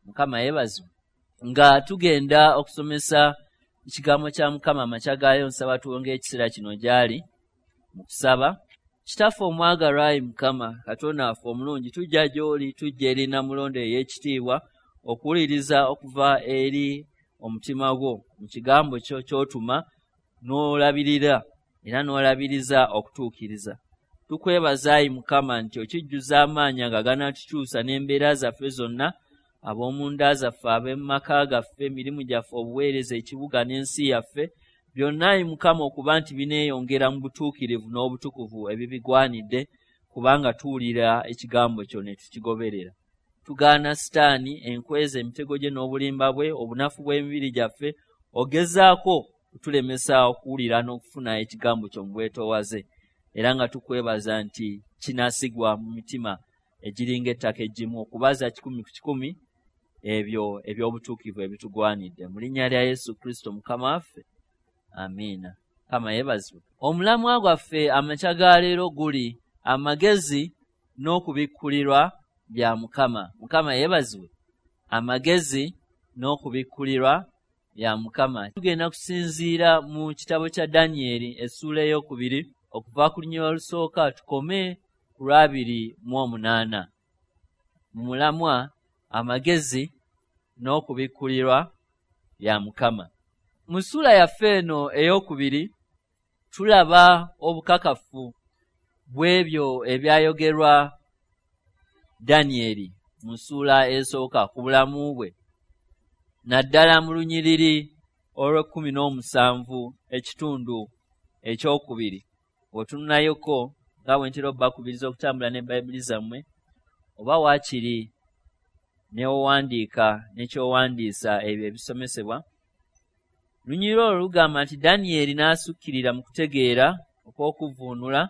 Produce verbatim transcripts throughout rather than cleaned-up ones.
Mukama yeebazibwe. Nga tugenda okusomesa ekigambo kya Mukama amakya gaayo, nsaba tuwonge ekiseera kino gy'ali mu kusaba. Kitaffe omwagalwa, ayi Mukama Katonda waffe omulungi, tujja gy'oli, tujja eri Namulondo ey'ekitiibwa okuwuliriza okuva eri omutima gwo mu kigambo kyo ky'otuma n'olabirira era n'olabiriza okutuukiriza. Tukwebaza ayi Mukama nti okijjuza amaanyi nga ganaatukyusa n'embeera zaffe zonna, ab'omunda zaffe, ab'emmaka gaffe, emirimu gyaffe, obuweereza, ekibuga n'ensi yaffe, byonna ayi Mukama okuba nti bineeyongera mu butuukirivu n'obutukuvu ebibigwanidde, kubanga tuwulira ekigambo kyo ne tukigoberera. Tugaana Sitaani, enkweza, emitego gye n'obulimba bwe, obunafu bw'emibiri gyaffe, ogezaako kutulemesa okuwulira n'okufuna ekigambo kyo mu bwetoowaze. Era nga tukwebaza nti kinaasigwa mu mitima egiringa ettaka eggimu okubaza kikumi ku kikumi ebyo eby'obutuukirivu ebitugwanidde. Mu linnya lya Yesu Kristo Mukama waffe, amiina. Mukama yeebazibwe. Omulamwa gwaffe amakya ga leero guli amagezi n'okubikkulirwa bya Mukama. Mukama yeebazibwe. Amagezi n'okubikkulirwa bya Mukama. Tugenda kusinziira mu kitabo kya Danyeri essuula ey'okubiri okuva ku lunyiriri olusooka tukome ku lwabiri mu omunaana. Mu mulamwa amagezi n'okubikkulirwa bya Mukama. Mu ssuula yaffe eno ey'okubiri tulaba obukakafu bw'ebyo ebyayogerwa Danyeri mu ssuula esooka ku bulamu bwe, naddala mu lunyiriri olw'ekkumi n'omusanvu ekitundu ekyokubiri. Bw'otununayoko nga bwe ntera obbakubiriza okutambula ne Bayibuli zammwe, oba waakiri n'owandiika ne ky'owandiisa ebyo ebisomesebwa. Lunyiriri olwo lugamba nti Danyeri n'asukkirira mu kutegeera okw'okuvvuunula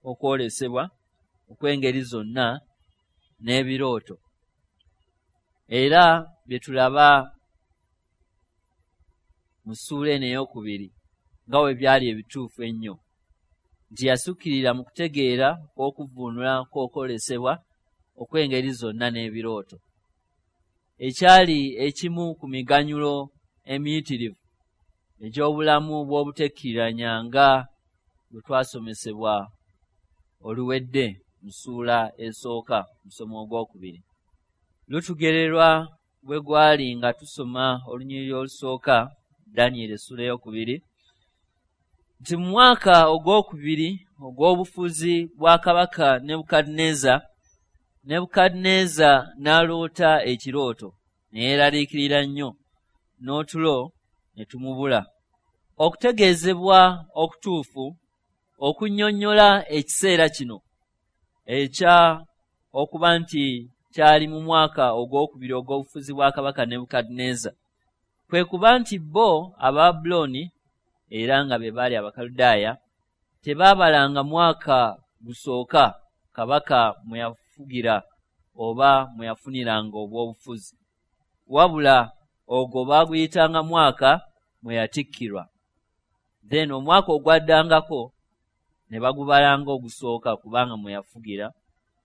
okwolesebwa okw'engeri zonna n'ebirooto. Era bye tulaba mu ssuula eno ey'okubiri nga bwe byali ebituufu ennyo, nti yasukkirira mu kutegeera okw'okuvvuunula kw'okwolesebwa okw'engeri zonna n'ebirooto, ekyali ekimu ku miganyulo emiyitirivu egy'obulamu bw'obutekkiriranya nga bwe twasomesebwa oluwedde mu ssuula esooka musomo ogwokubiri. Lutugererwa bwe gwali nga tusoma olunyiriri olusooka Danyeri essuula ey'okubiri, nti mu mwaka ogwokubiri ogw'obufuzi bwa kabaka Nebukadduneeza, Nebukadduneeza n'aloota ekirooto ne yeeraliikirira nnyo, n'otulo ne tumubula. Okutegeezebwa okutuufu okunnyonnyola ekiseera kino ekya okuba nti kyali mu mwaka ogwokubiri ogw'obufuzi bwa kabaka Nebukadduneeza, kwe kuba nti bo Abababulooni, era nga be baali Abakaludaaya, tebaabalanga mwaka gusooka kabaka mwe yafugira oba mwe yafuniranga obw'obufuzi, wabula ogwo baaguyitanga mwaka mwe yatikkirwa. Then omwaka ogwaddangako ne bagubalanga ogusooka kubanga mwe yafugira,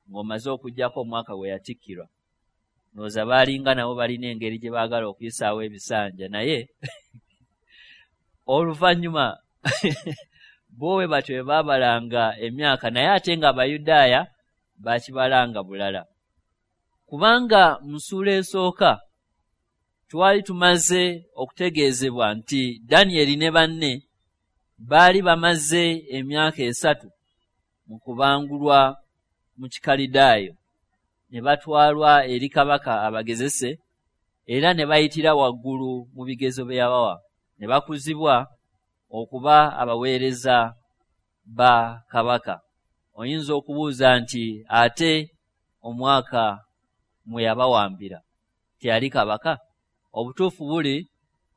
ng'omaze okuggyako omwaka gwe yatikkirwa. Ndowooza baalinga nabo balina engeri gye baagala okuyisaawo ebisanja, naye oluvannyuma bo bwe batyo bwe baabalanga emyaka, naye ate ng'Abayudaaya baakibalanga bulala. Kubanga mu ssuula esooka twali tumaze okutegeezebwa nti Danyeri ne banne baali bamaze emyaka esatu mu kubangulwa mu Kikalidaayo, ne batwalwa eri kabaka abagezese, era ne bayitira waggulu mu bigezo bye yabawa, ne bakuzibwa okuba abaweereza ba kabaka. Oyinza okubuuza nti ate omwaka mwe yabawambira teyali kabaka? Obutuufu buli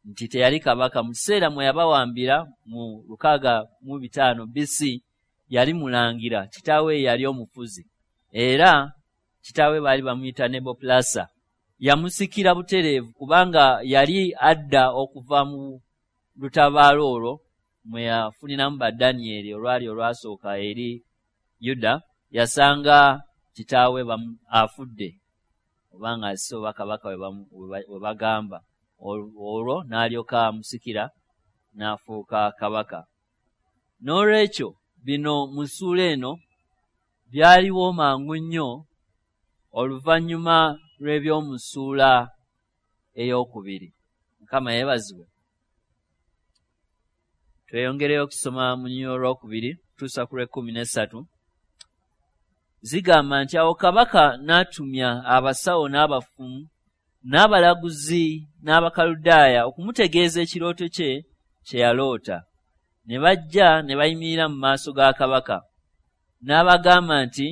nti teyali kabaka. Mu kiseera mwe yabawambira mu lukaaga mu bitaano B C yali mulangira, kitaawe yali omufuzi, era kitaawe baali bamuyita Nebopolasa. Yamusikira butereevu kubanga yali adda okuva mu lutabaalo olwo mwe yafuniramu ba Danyeri olwali olwasooka eri Yuda, yasanga kitaawe afudde oba ng'azise oba kabaka we bagamba. Olwo n'alyoka amusikira n'afuuka kabaka. N'olwekyo bino mu ssuula eno byaliwo mangu nnyo oluvannyuma lw'eby'omu ssuula ey'okubiri. Mukama yeebazibwe. Tweyongereyo okusoma mu lunyiriri olwokubiri tutuusa ku lw'ekkumi n'essatu. Zigamba nti awo kabaka n'atumya abasawo n'abafumu n'abalaguzi n'Abakaludaaya okumutegeeza ekirooto kye kye yaloota. Ne bajja ne bayimirira mu maaso ga kabaka. N'abagamba nti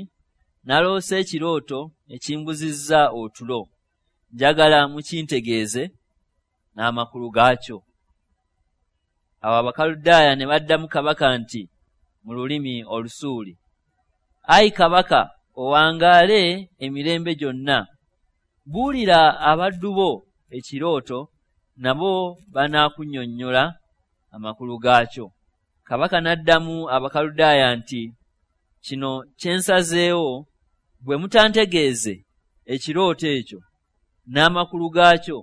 naloose ekirooto ekimbuzizza otulo, njagala mukintegeeze n'amakulu gaakyo. Awo Abakaludaaya ne baddamu kabaka nti mu lulimi Olusuuli, ayi kabaka, owangaale emirembe gyonna. Buulira abaddu bo ekirooto, nabo banaakunnyonnyola amakulu gaakyo. Kabaka n'addamu Abakaludaaya nti kino kye nsazeewo, bwe mutantegeeze ekirooto ekyo n'amakulu gaakyo,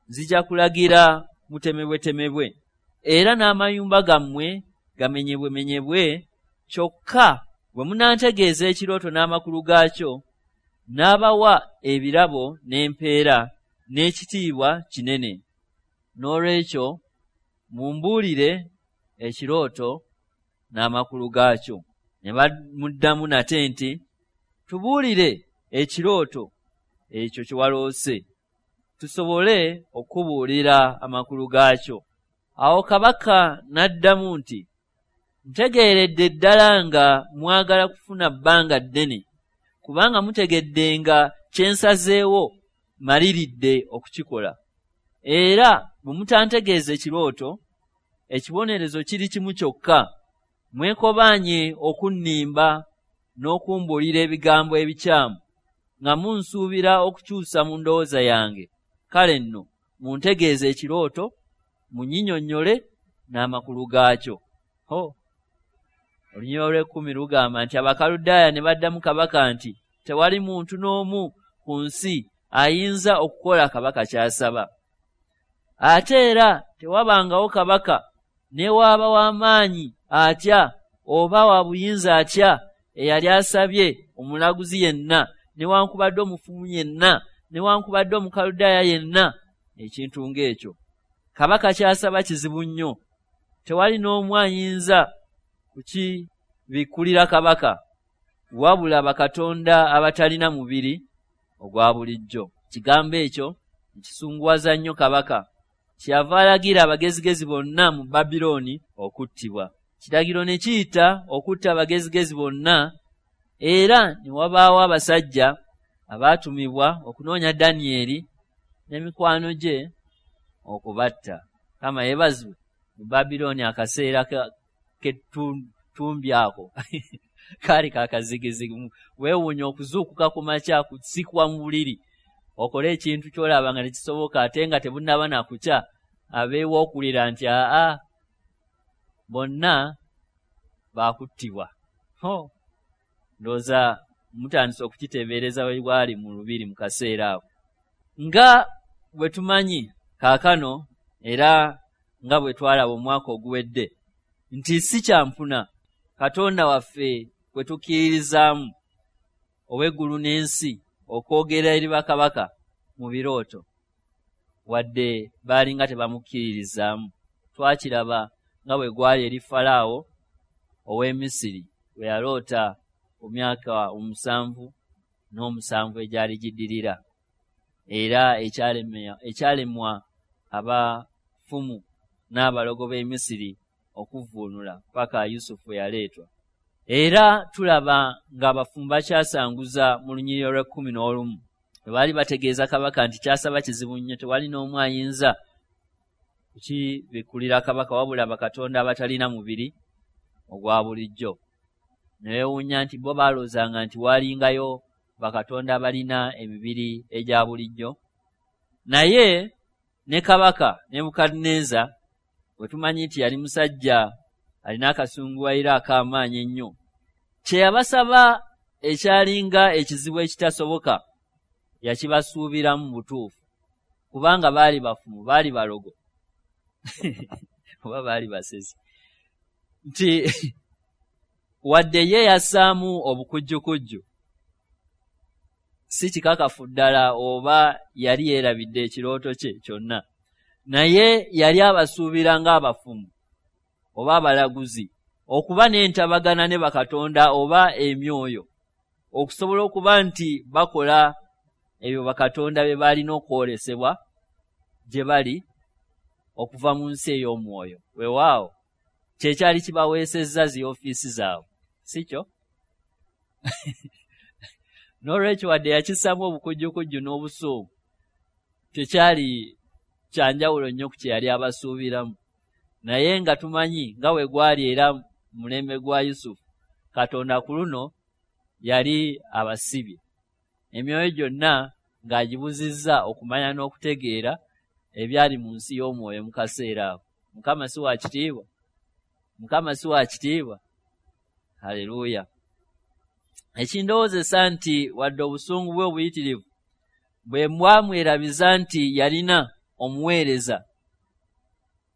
nzija kulagira mutemebwetemebwe, era n'amayumba gammwe gamenyebwemenyebwe. Kyokka bwe munantegeeza ekirooto n'amakulu gaakyo, n'abawa ebirabo n'empeera n'ekitiibwa kinene. N'olwekyo mumbuulire ekirooto n'amakulu gaakyo. Ne bamuddamu nate nti tubuulire ekirooto ekyo kye waloose, tusobole okubuulira amakulu gaakyo. Awo kabaka n'addamu nti ntegeeredde ddala nga mwagala kufuna bbanga ddene, kubanga mutegedde nga kye nsazeewo maliridde okukikola. Era bwe mutantegeeza ekirooto, ekibonerezo kiri kimu kyokka, mwekobaanye okunnimba n'okumbuulira ebigambo ebikyamu, nga munsuubira okukyusa mu ndowooza yange. Kale nno muntegeeze ekirooto, munnyinnyonnyole n'amakulu gaakyo. Ho! Olunyiriri olw'ekkumi lugamba nti Abakaludaaya ne baddamu kabaka nti tewali muntu n'omu ku nsi ayinza okukola kabaka ky'asaba. Ate era tewabangawo kabaka ne waaba w'amaanyi atya oba wa buyinza atya eyali asabye omulaguzi yenna, newankubadde omufumu yenna, newankubadde Omukaludaaya yenna ekintu ng'ekyo. Kabaka ky'asaba kizibu nnyo, tewali n'omu ayinza kukibikkulira kabaka, wabula bakatonda abatalina mubiri ogwa bulijjo. Kigambo ekyo kisunguwaza nnyo kabaka, kyeyava alagira abagezigezi bonna mu Babilooni okuttibwa. Kiragiro ne kiyita okutta abagezigezi bonna, era ne wabaawo abasajja abaatumibwa okunoonya Danyeri n'emikwano gye okubatta. Kama yeebazibwe. Mu Babilooni akaseera k'ettumbi ako kaali kakazigizigi. Weewuunya okuzuukuka ku makya kusikwa mu buliri okole ekintu ky'olaba nga tekisoboka, ate nga tebunnaba na kukya, abeewa okulira nti aa bonna baakuttibwa. Ho! Ndowooza mutandise okukiteebereza we bwali mu lubiri mu kaseera ako. Nga bwe tumanyi kaakano era nga bwe twalaba omwaka oguwedde nti si kyampuna Katonda waffe kwe tukkiririzaamu ow'eggulu n'ensi okwogera eri bakabaka mu birooto, wadde baalinga tebamukkiririzaamu. Twakiraba nga bwe gwali eri Falaawo ow'e Misiri bwe yaloota ku myaka omusanvu n'omusanvu egyali giddirira, era ekyalemwa abafumu n'abalogo b'e Misiri okuvvuunula paka Yusufu yaleetwa. Era tulaba ng'abafumu bakyasanguza mu lunyiriri olw'ekkumi n'olumu bwe baali bategeeza kabaka nti kyasaba kizibu nnyo, tewali n'omu ayinza kukibikkulira kabaka wabula bakatonda abatalina mubiri ogwa bulijjo. Ne beewuunya nti bo baalowoozanga nti waalingayo bakatonda abalina emibiri egya bulijjo. Naye ne kabaka Nebukadduneeza bwe tumanyi nti yali musajja alina akasunguwaliro ak'amaanyi ennyo, kye yabasaba ekyalinga ekizibu ekitasoboka Yakibasuubiramu butuufu, kubanga baali bafumu, baali balogo oba baali basezi, nti wadde ye yassaamu obukujjukujju, si kikakafu ddala oba yali yeerabidde ekirooto kye kyonna, naye yali abasuubira ng'abafumu oba abalaguzi okuba n'entabagana ne bakatonda oba emyoyo, okusobola okuba nti bakola ebyo bakatonda bye balina okwolesebwa gye bali okuva mu nsi ey'omwoyo. Weewaawo kyekyali kibaweesezza zi ofiisi zaabwe, si kyo? N'olwekyo wadde yakissaamu obukujjukujju n'obusungu, tekyali kyanjawulo nnyo ku kye yali abasuubiramu. Naye nga tumanyi nga bwe gwali era mu mulembe gwa Yusufu, Katonda ku luno yali abasibye emyoyo gyonna ng'agibuzizza okumanya n'okutegeera ebyali mu nsi y'omwoyo mu kaseera ako. Mukama si wa kitiibwa? Mukama si wa kitiibwa? Haleluya! Ekindowoozesa nti wadde obusungu bwe obuyitirivu bwe bwamwerabiza nti yalina omuweereza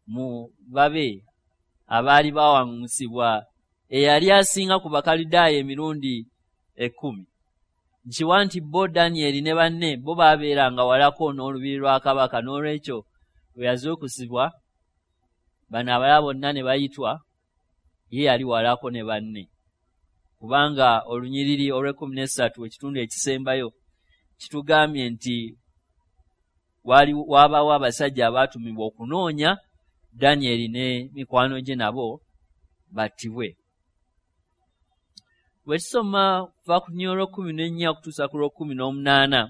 mu babe abaali bawaŋŋusibwa eyali asinga ku Bakalidaaya emirundi ekkumi. Nkiwa nti bo Danyeri ne banne bo baabeeranga walako n'olubiri lwa kabaka, n'olwekyo bwe yazuukusibwa bano abalala bonna ne bayitwa, ye yali walako ne banne. Kubanga olunyiriri olw'ekkumi n'essatu ekitundu ekisembayo kitugambye nti wabaawo abasajja abaatumibwa okunoonya Danyeri ne mikwano gye nabo battibwe. Bwe tusoma kuva ku lunyiriri olw'ekkumi n'ennya okutuusa ku lw'ekkumi n'omunaana,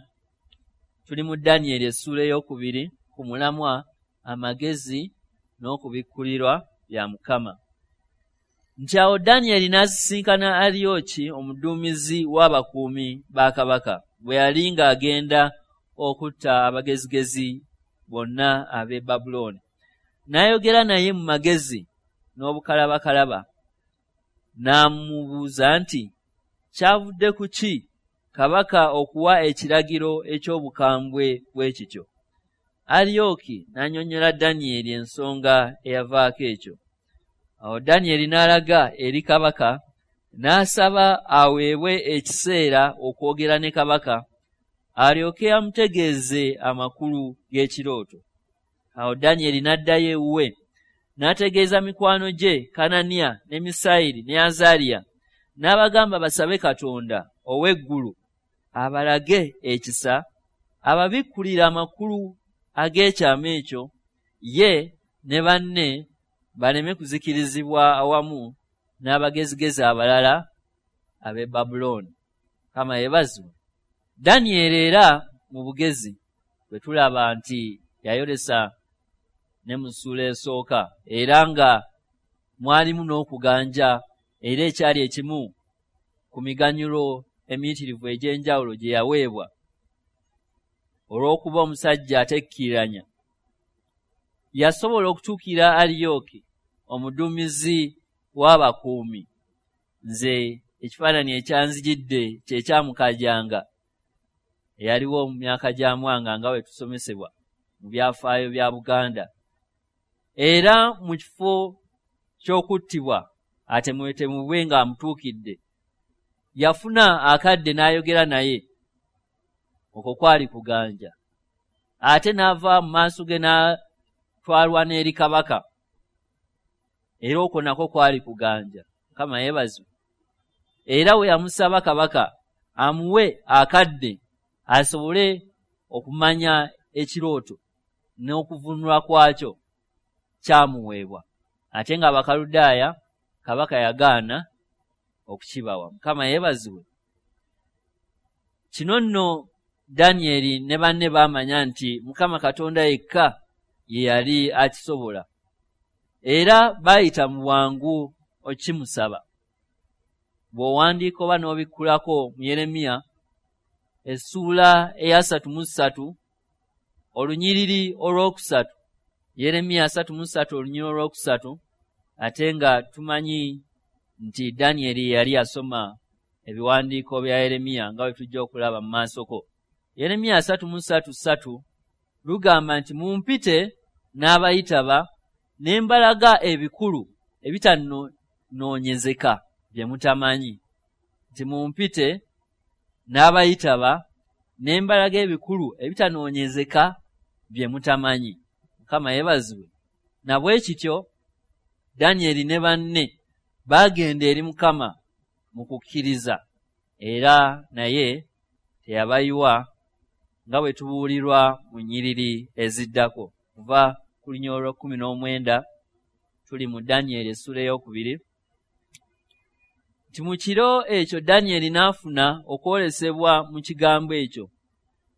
tuli mu Danyeri essuula ey'okubiri ku mulamwa amagezi n'okubikkulirwa bya Mukama. Nti awo Danyeri n'asisinkana Aliyooki omuduumizi w'abakuumi ba kabaka bwe yali ng'agenda okutta abagezigezi bonna ab'e Babulooni. N'ayogera naye mu magezi n'obukalabakalaba, n'amubuuza nti, kyavudde ku ki kabaka okuwa ekiragiro eky'obukambwe bwe kityo? Aliyooki n'annyonnyola Danyeri ensonga eyavaako ekyo. Awo Danyeri n'alaga eri kabaka, n'asaba aweebwe ekiseera okwogera ne kabaka, alyoke amutegeeze amakulu g'ekirooto. Awo Danyeri n'addayo ewuwe, n'ategeeza mikwano gye Kananiya ne Misayiri ne Azaliya, n'abagamba basabe Katonda ow'eggulu abalage ekisa, ababikkulire amakulu ag'ekyama ekyo, ye ne banne baleme kuzikirizibwa awamu n'abagezigezi abalala ab'e Babulooni. Mukama yeebazibwe. Danyeri era mu bugezi bwe tulaba nti yayolesa ne mu ssuula esooka, era nga mwalimu n'okuganja, era ekyali ekimu ku miganyulo emiyitirivu egy'enjawulo gye yaweebwa olw'okuba omusajja atekkiriranya. Yasobola okutuukira Aliyooki omuduumizi w'abakuumi. Nze ekifaananyi ekyanzijidde kye kyamukajanga eyaliwo mu myaka gya Mwanga nga bwe tusomesebwa mu byafaayo bya Buganda. Era mu kifo ky'okuttibwa atemwetemubwe ng'amutuukidde, yafuna akadde n'ayogera naye. Okwo kwali kuganja. Ate n'ava mu maaso ge n'atwalwa n'eri kabaka, era okwo nakwo kwali kuganja. Mukama yeebazibwe. Era we yamusaba kabaka amuwe akadde asobole okumanya ekirooto n'okuvunulwa kwakyo, kyamuweebwa. Ate ng'Abakaludaaya kabaka yagaana okukibawa. Mukama yeebazibwe. Kino nno Danyeri ne banne baamanya nti Mukama Katonda yekka ye yali akisobola, era baayita mu bwangu okimusaba. Bw'owandiika oba n'obikkulako mu Yeremiya essuula eyasatu mu ssatu olunyiriri olwokusatu, Yeremiya asatu mu ssatu olunyiriri olwokusatu, ate nga tumanyi nti Danyeri yali asoma ebiwandiiko bya Yeremiya nga bwe tujja okulaba mu maasoko. Yeremiya asatu mu ssatu ssatu lugamba nti mumpite n'abayitaba ne mbalaga ebikulu ebitanoonyezeka bye mutamanyi. Nti mumpite n'abayitaba ne mbalaga ebikulu ebitanoonyezeka bye mutamanyi. Mukama yeebazibwe. Na bwe kityo Danyeri ne banne baagenda eri Mukama mu kukkiriza, era naye teyabayiwa nga bwe tubuulirwa mu nnyiriri eziddako. Kuva ku lunyiriri olw'ekkumi n'omwenda tuli mu Danyeri essula ey'okubiri. Nti mu kiro ekyo Danyeri n'afuna okwolesebwa mu kigambo ekyo,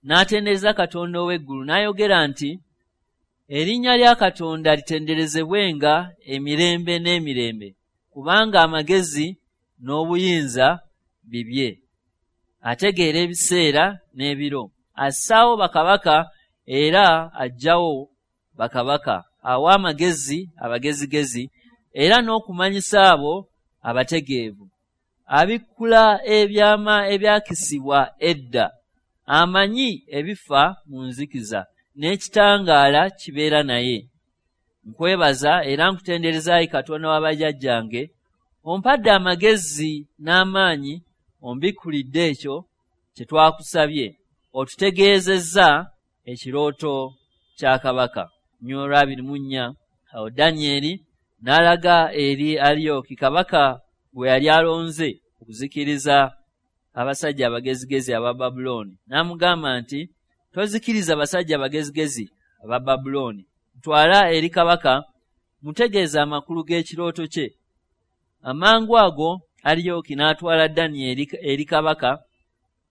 n'atendereza Katonda ow'eggulu, n'ayogera nti erinnya lya Katonda litenderezebwenga emirembe n'emirembe, kubanga amagezi n'obuyinza bibye. Ategeera ebiseera n'ebiro, assaawo bakabaka era aggyawo bakabaka, awa amagezi abagezigezi era n'okumanyisa abo abategeevu. Abikkula ebyama ebyakisibwa edda, amanyi ebifa mu nzikiza, n'ekitangaala kibeera naye. Nkwebaza era nkutendereza ayi Katonda wa bajjajjange, ompadde amagezi n'amaanyi, ombikkulidde ekyo kye twakusabye, otutegeezezza ekirooto kya kabaka. Nnyolo abiri mu nnya. Awo Danyeri n'alaga eri Aliyoki kabaka gwe yali alonze okuzikiriza abasajja abagezigezi aba Babulooni, n'amugamba nti tozikiriza basajja abagezigezi aba Babulooni, ntwala eri kabaka mutegeeze amakulu g'ekirooto kye. Amangu ago Aliyoki n'atwala Danyeri eri kabaka,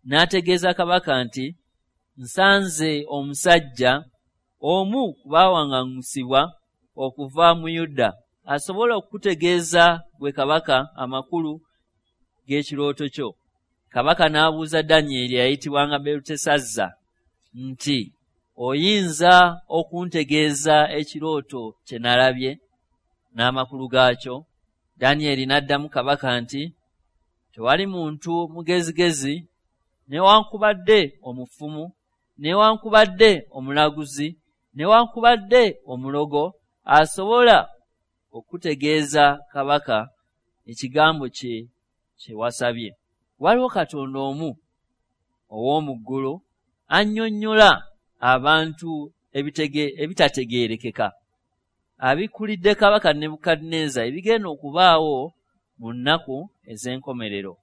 n'ategeeza kabaka nti nsanze omusajja omu ku baawaŋŋangusibwa okuva mu Yuda asobola okukutegeeza gwe kabaka amakulu g'ekirooto kyo. Kabaka n'abuuza Danyeri eyayitibwanga Belutesazza nti oyinza okuntegeeza ekirooto kye nalabye n'amakulu gaakyo? Danyeri n'addamu kabaka nti tewali muntu mugezigezi newankubadde omufumu newankubadde omulaguzi newankubadde omulogo asobola okutegeeza kabaka ekigambo kye kye wasabye. Waliwo Katonda omu ow'omu ggulu annyonnyola abantu ebitategeerekeka, abikkulidde kabaka Nebukadduneeza ebigenda okubaawo mu nnaku ez'enkomerero.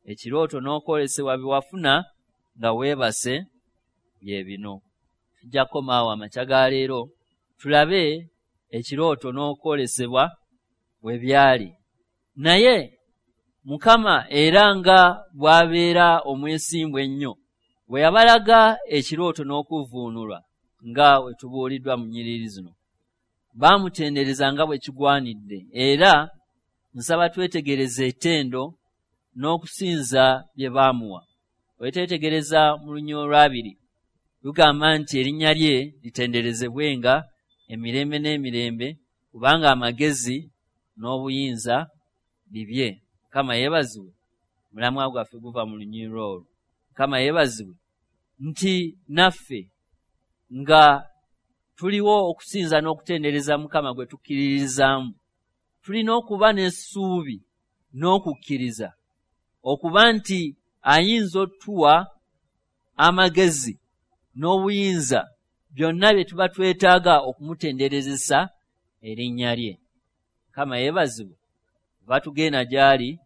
Ekirooto n'okwolesebwa bye wafuna nga weebase bye bino. Tujja kukomaawo amakya ga leero tulabe ekirooto n'okwolesebwa bwe byali. Naye Mukama era nga bw'abeera omwesimbu ennyo bwe yabalaga ekirooto n'okuvvuunulwa nga we tubuuliddwa mu nnyiriri zino, baamutendereza nga bwe kigwanidde. Era nsaba twetegereze ettendo n'okusinza bye baamuwa. Bwe twetegereza mu lunyiriri olw'abiri lugamba nti erinnya lye litenderezebwenga emirembe n'emirembe, kubanga amagezi n'obuyinza bibye. Mukama yeebazibwe. Omulamwa gwaffe guva mu lunyiriri olwo. Mukama yeebazibwe nti naffe nga tuliwo okusinza n'okutendereza Mukama gwe tukkiririzaamu, tulina okuba n'essuubi n'okukkiriza okuba nti ayinza otuwa amagezi n'obuyinza byonna bye tuba twetaaga okumutenderezesa erinnya lye. Mukama yeebazibwe. Batugenda gy'ali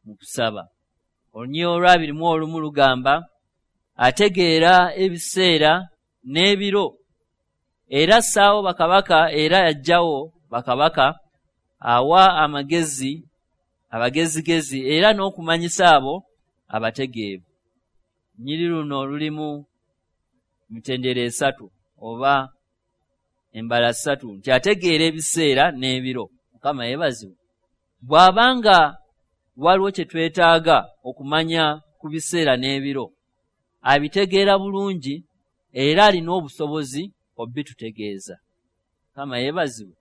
mu kusaba. Olunyiriri olw'abiri mu olumu lugamba ategeera ebiseera n'ebiro, era assaawo bakabaka era aggyawo bakabaka, awa amagezi abagezigezi era n'okumanyisa abo abategeevu. Nnyiriri luno lulimu mitendera esatu oba embala ssatu nti ategeera ebiseera n'ebiro. Mukama yeebazibwe. Bw'abanga waliwo kye twetaaga okumanya ku biseera n'ebiro, abitegeera bulungi era alina obusobozi obitutegeeza. Mukama yeebazibwe.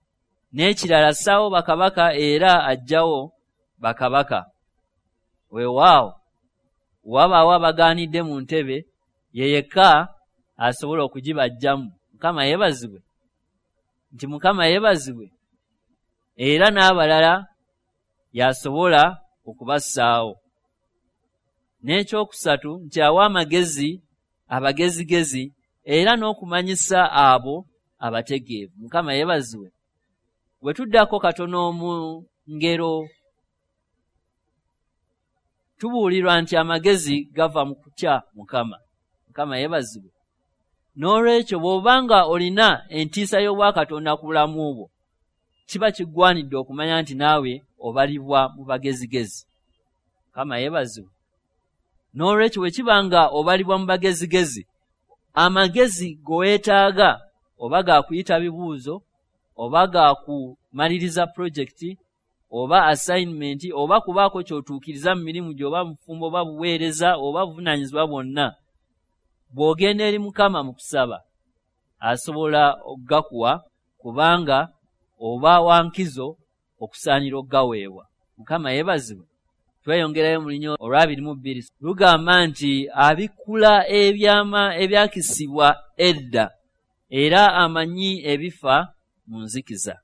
N'ekirala assaawo bakabaka era aggyawo bakabaka. Weewaawo wabaawo abagaanidde mu ntebe Ye yekka asobola okugibajjamu. Mukama yeebazibwe. Nti Mukama yeebazibwe. Era n'abalala y'asobola okubassaawo. N'ekyokusatu nti awa amagezi abagezigezi era n'okumanyisa abo abategeevu. Mukama yeebazibwe. Bwe tuddako katono mu ngero, tubuulirwa nti amagezi gava mu kutya Mukama. Mukama yeebazibwe. N'olwekyo bw'obanga olina entiisa y'obwakatonda ku bulamu bwo, kiba kigwanidde okumanya nti naawe obalibwa mu bagezigezi. Mukama yeebazibwe. N'olwekyo bwe kiba nga obalibwa mu bagezigezi, amagezi g'oweetaaga oba ga kuyita bibuuzo, oba ga kumaliriza pulojekiti, oba assignment, oba kubaako ky'otuukiriza mu mirimu gyo, oba mufumbo, oba buweereza, oba buvunaanyizibwa bwonna, bw'ogenda eri Mukama mu kusaba asobola okugakuwa, kubanga oba wa nkizo okusaanira okugaweebwa. Mukama yeebazibwe. Tweyongerayo mu lunyiriri olw'abiri mu bbiri, lugamba nti abikkula ebyama ebyakisibwa edda era amanyi ebifa mu nzikiza.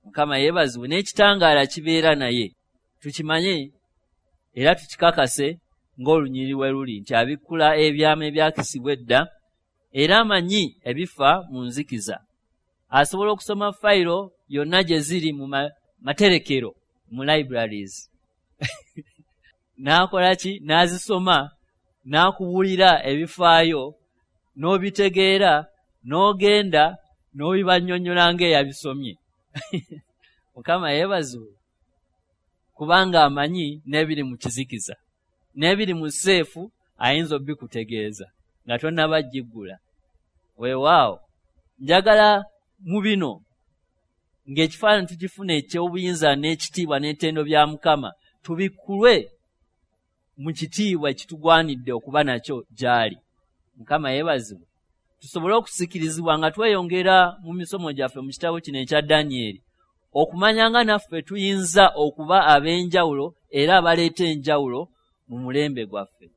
Mukama yeebazibwe. N'ekitangaala kibeera naye. Tukimanye era tukikakase ng'olunyiriri we luli nti abikkula ebyama ebyakisibwa edda era amanyi ebifa mu nzikiza. Asobola okusoma fayiro yonna gye ziri mu materekero, mu libraries. N'akola ki? N'azisoma, n'akubuulira ebifaayo, n'obitegeera, n'ogenda n'obibannyonnyola ng'eyabisomye. Mukama yeebazibwe. Kubanga amanyi n'ebiri mu kizikiza, n'ebiri mu seefu ayinza obikutegeeza nga tonnaba giggula. Weewaawo, njagala mu bino ng'ekifaananyi tukifuna eky'obuyinza n'ekitiibwa n'ettendo bya Mukama, tubikkulwe mu kitiibwa ekitugwanidde okuba nakyo gy'ali. Mukama yeebazibwe. Tusobole okusikirizibwa nga tweyongera mu misomo gyaffe mu kitabo kino ekya Danyeri, okumanya nga naffe tuyinza okuba ab'enjawulo era abaleeta enjawulo mu mulembe gwaffe.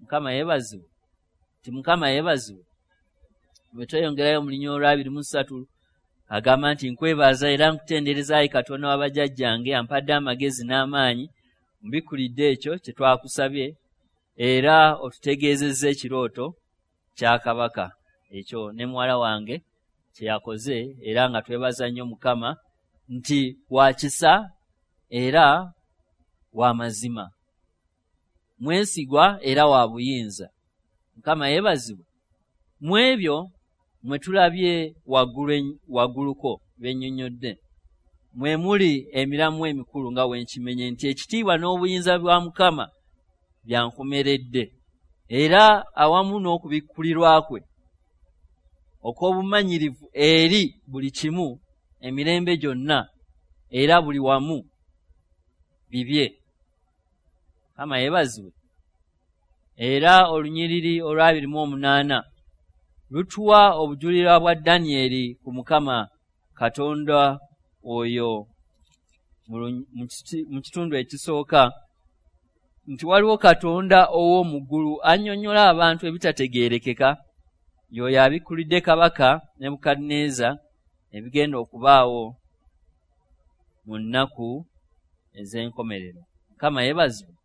Mukama yeebazibwe. Nti Mukama yeebazibwe. Bwe tweyongerayo mu lunyiriri olw'abiri mu ssatu, agamba nti nkwebaza era nkutendereza ayi Katonda wa bajjajjange ampadde amagezi n'amaanyi, mbikkulidde ekyo kye twakusabye era otutegeezezza ekirooto kya kabaka. Ekyo ne muwala wange kye yakoze, era nga twebaza nnyo Mukama nti wa kisa era wa mazima, mwesigwa era wa buyinza. Mukama yeebazibwe. Mu ebyo mwe tulabye waggulu wagguluko bennyonnyodde, mwe muli emiramu emikulu nga we nkimenye nti ekitiibwa n'obuyinza bwa Mukama byankomeredde, era awamu n'okubikkulirwa kwe okw'obumanyirivu eri buli kimu emirembe gyonna era buli wamu bibye. Mukama yeebazibwe. Era olunyiriri olw'abiri mu omunaana lutuwa obujulirwa bwa Danyeri ku Mukama Katonda oyo mu kitundu ekisooka, nti waliwo Katonda ow'omu ggulu annyonnyola abantu ebitategeerekeka, y'oyo abikkulidde kabaka Nebukadduneeza ebigenda okubaawo mu nnaku ez'enkomerero. Mukama yeebazibwe.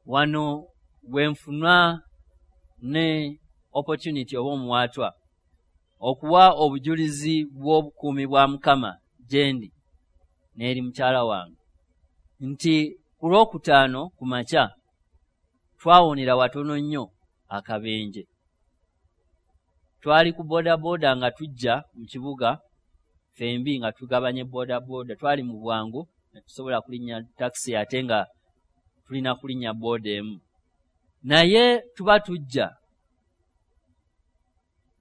Wano bwe nfuna ne opportunity oba omuwaatwa okuwa obujulizi bw'obukuumi bwa Mukama gye ndi n'eri mukyala wange, nti ku lwokutaano ku makya twawonera watono nnyo akabenje. Twali ku boodabooda nga tujja mu kibuga ffembi nga tugabanye boodabooda, twali mu bwangu ne tusobola kulinnya takisi ate nga tulina kulinnya booda emu. Naye tuba tujja,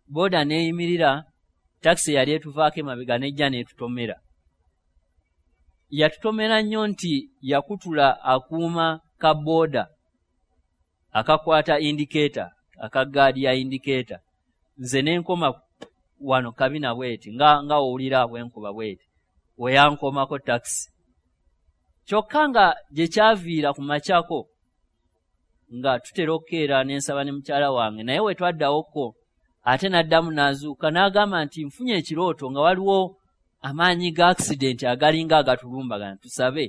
booda n'eyimirira, takisi eyali etuvaako emabega n'ejja n'etutomera. Yatutomera nnyo nti yakutula akuuma ka booda akakwata indicator, aka gaadi ya indicator. Nze ne nkoma wano kabina bweti nga nga owulira bwe nkuba bweti, we yankomako takisi. Kyokka nga gye kyaviira ku makyako nga tutera okukeera n'ensaba ne mukyala wange, naye we twaddawoko ate n'addamu n'azuuka n'agamba nti nfunye ekirooto nga waliwo amaanyi ga accident agalinga agatulumbagana, tusabe.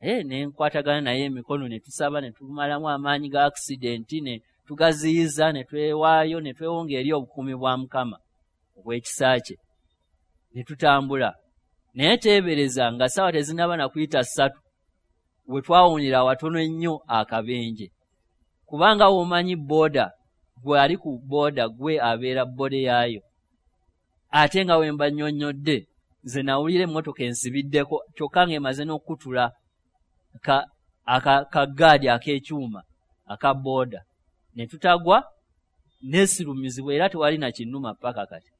Eh, ne nkwatagana naye emikono ne tusaba ne tumalamu amaanyi ga accident ne tugaziyiza ne twewaayo ne twewonga eri obukuumi bwa Mukama obw'ekisa kye ne tutambula. Naye teebereza nga ssaawa tezinnaba na kuyita ssatu we twawonera awatono ennyo akabenje, kubanga w'omanyi booda gwe ali ku booda gwe abeera bode yaayo, ate nga we mba nnyonnyodde nze nawulira emmotoka ensibiddeko kyokka ng'emaze n'okukutula ka akagaadi ak'ekyuma aka booda ne tutagwa neesirumizibwa era tewali na kinnuma paka kati.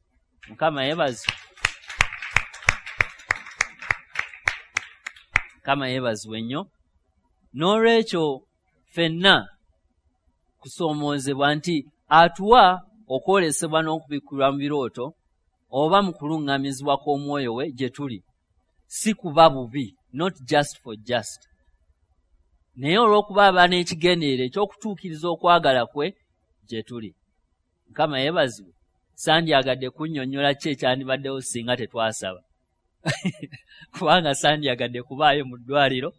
Mukama yeebazibwe. Mukama yeebazibwe nnyo. N'olwekyo ffenna kusoomoozebwa nti atuwa okwolesebwa n'okubikkulwa mu birooto oba mu kuluŋŋamizibwa kw'omwoyo we gye tuli, si kuba bubi, not just for just, naye olw'okuba aba n'ekigendererwa eky'okutuukiriza okwagala kwe gye tuli. Mukama yeebazibwe. Sandyagadde kunnyonnyola ki ekyandibaddewo singa tetwasaba kubanga sandyagadde kubaayo mu ddwaliro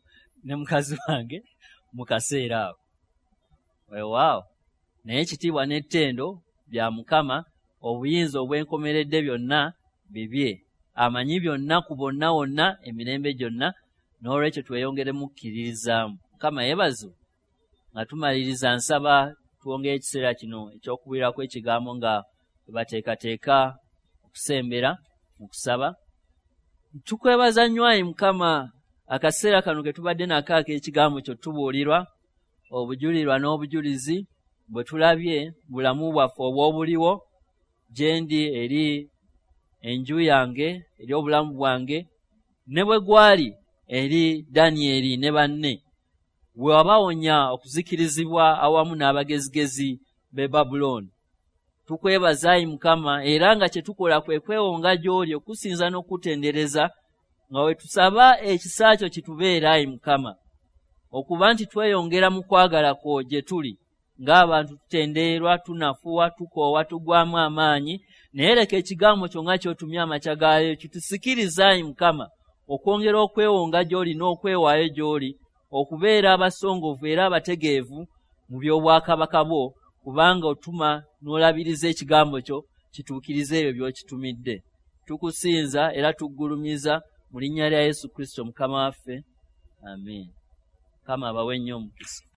ne mukazi wange mu kaseera ako. Weewaawo, naye ekitiibwa n'ettendo bya Mukama, obuyinza obwenkomeredde byonna bibye, amanyi byonna ku bonna wonna emirembe gyonna. N'olwekyo tweyongere mukkiririzaamu. Mukama yeebazibwe. Nga tumaliriza nsaba twongere ekiseera kino eky'okubuulirako ekigambo nga bateekateeka okusembera mu kusaba. Tukwebaza nnyo ayi Mukama akaseera kano ke tubadde nako ak'ekigambo kyo tubuulirwa obujulirwa n'obujulizi bwe tulabye bulamu bwaffe obw'obuliwo gye ndi eri enju yange, eri obulamu bwange, ne bwe gwali eri Danyeri ne banne, we wabawonya okuzikirizibwa awamu n'abagezigezi b'e Babulooni. Tukwebaza ayi Mukama, era nga kye tukola kwe kwewonga gy'oli okusinza n'okutendereza, nga we tusaba ekisa kyo kitubeere ayi Mukama, okuba nti tweyongera mu kwagala kwo gye tuli ng'abantu tutendeerwa, tunafuwa, tukoowa, tugwamu amaanyi, naye leka ekigambo kyo nga ky'otumye amakya gaayo kitusikirize ayi Mukama okwongera okwewonga gy'oli n'okwewaayo gy'oli, okubeera abasongovu era abategeevu mu by'obwakabaka bwo, kubanga otuma n'olabiriza ekigambo kyo kituukirize ebyo by'okitumidde. Tukusinza era tuggulumiza mu linnya lya Yesu Kristo Mukama waffe, amiina. Mukama abawe nnyo omukisa.